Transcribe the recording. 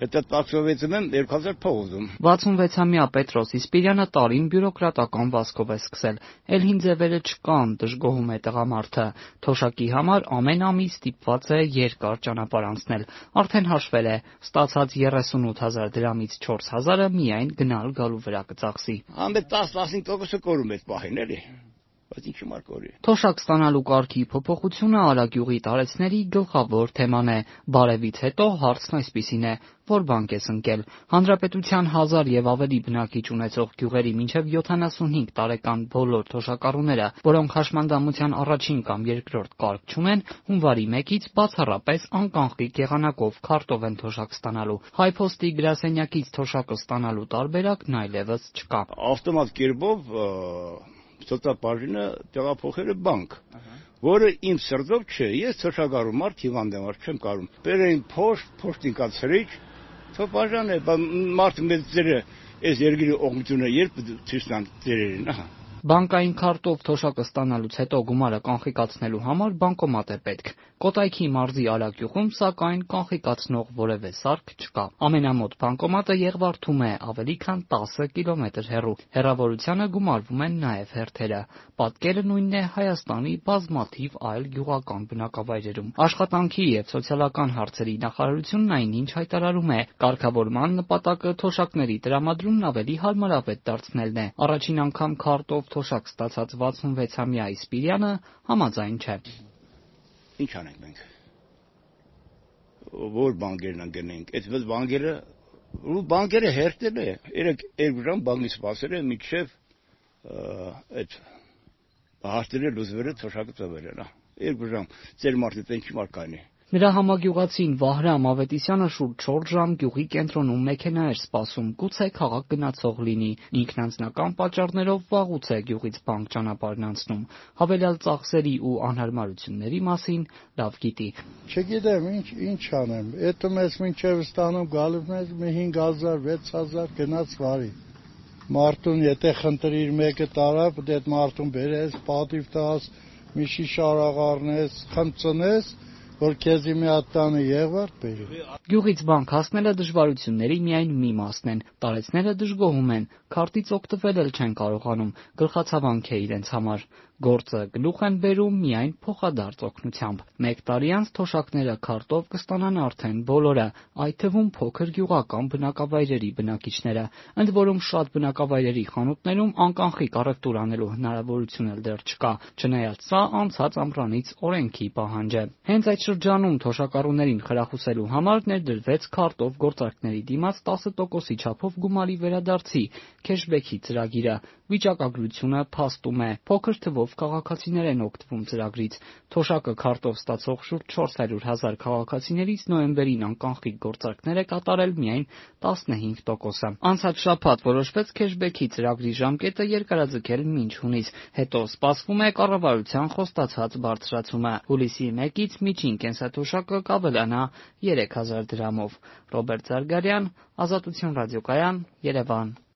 Հետո տաքսովեցում եմ 2000 փող ուզում։ 66-ամյա Պետրոս Իսպիրյանը տարին բյուրոկրատական վազքով է սկսել։ Էլ հին ձևերը չկան, դժգոհում է տղամարդը։ Թոշակի համար ամեն ամիս ստիպված է երկար ճանապարհ անցնել։ Արդեն հաշվել է, ստացած 38,000 դրամից 4,000-ը միայն գնալ գալու վրա կծախսի։ Ամեն 10-15% կորում է պահին էլի։ Բայց ինչի մար կորի։ Թոշակ ստանալու կարգի փոփոխությունը Արագյուղի տարեցների գլխավոր թեման է։ Բարևից հետո հարցն այսպիսին է. որ բանկ ես ընկել։ Հանրապետության 1000 եւ ավելի բնակիչ ունեցող գյուղերի մինչեւ 75 տարեկան բոլոր թոշակառուները, որոնք հաշմանդամության առաջին կամ երկրորդ կարգ չունեն, հունվարի 1-ից բացառապես անկանխիկ եղանակով քարտով են թոշակ ստանալու։ Հայփոստի գրասենյակից թոշակը ստանալու տարբերակն այլևս չկա։ Ավտոմատ կերպով սոցիալբաժինը տեղափոխել է բանկ, որը իմ սրտով չէ, ես թոշակառու մարդ հիվանդ եմ, չեմ կարող։ Բերեին փոշտին կացրիչ, թոփաժան է, մարդ մեծ ձերը, այս երկրի օգնությունը երբ ցույց տան ձերերին, ահա։ Բանկային քարտով թոշակը ստանալուց հետո գումարը կանխիկացնելու համար բանկոմատ է պետք։ Կոտայքի մարզի Արագյուղում, սակայն, կանխիկացնող որևէ սարք չկա։ Ամենամոտ բանկոմատը Եղվարդում է, ավելի քան 10 կիլոմետր հեռու։ Հեռավորությանը գումարվում են նաև հերթերը։ Պատկերը նույնն է Հայաստանի բազմաթիվ այլ գյուղական բնակավայրերում։ Աշխատանքի եւ սոցիալական հարցերի նախարարությունն այնինչ հայտարարում է, կարգավորման նպատակը թոշակների տրամադրումն ավելի հարմարավետ դարձնելն է։ Առաջին անգամ քարտով թոշակ ստացած 66-ամյա Իսպիրյանը համաձայն չէ։ Ինչ անենք մենք։ Որ բանկերն ընկնենք, այդ բանկերը հերթել է, 2 ժամ բանկից սպասել է մինչև այդ հաշտերը լուծվելը թոշակը տվել են, 2 ժամ, ծեր մարդը ինչի մար կանի։ Նրա համագյուղացին Վահրամ Ավետիսյանը շուրջ 4 ժամ գյուղի կենտրոնում մեքենա էր սպասում, գուցե քաղաք գնացող լինի։ Ինքն անձնական պատճառներով վաղուց է գյուղից բանկ ճանապարհն անցնում։ Հավելյալ ծախսերի ու անհարմարությունների մասին լավ գիտի։ Չգիտեմ ինչ անեմ, էտո մեզ մինչև ստանում գալու մեզ 5000, 6000 գնաց վարի։ Մարդուն եթե խնդրիր մեկը տարա, պետք է մարդուն բերես, պատիվ տաս, մի շիշ արաղ առնես, խմծնես, որ քեզի մի հատ տանը Եղվարդ բերի։ Գյուղից բանկ հասնելը դժվարությունների միայն մի մասն են։ Տարեցները դժգոհում են, քարտից օգտվել էլ չեն կարողանում, գլխացավանք է իրենց համար։ Գործը գլուխ են բերում միայն փոխադարձ օգնությամբ։ 1 տարի անց թոշակները քարտով կստանան արդեն բոլորը, այդ թվում փոքր գյուղական բնակավայրերի բնակիչները։ Ընդ որում շատ բնակավայրերի խանութներում անկանխիկ առևտուր անելու հնարավորություն էլ դեռ չկա, չնայած սա անցած ամռանից օրենքի պահանջ է։ Հենց այդ շրջանում թոշակառուներին խրախուսելու համար ներդրվեց քարտով գործարքների դիմաց 10%-ի չափով գումարի վերադարձի քեշբեքի ծրագիրը։ Վիճակագրությունը փաստում է, փոքր թվով քաղաքացիներ են օգտվում ծրագրից։ Թոշակը քարտով ստացող շուրջ 400,000 քաղաքացիներից նոյեմբերին անկանխիկ գործարքներ է կատարել միայն 15%-ը։ Անցած շաբաթ որոշվեց քեշբեքի ծրագրի ժամկետը երկարաձգել մինչ հունիս, հետո սպասվում է կառավարության խոստացած բարձրացումը։ Հուլիսի 1-ից միջին կենսաթոշակը կավելանա 3000 դրամով։ Ռոբերտ Զարգարյան, Ազատություն ռադիոկայան, Երևան։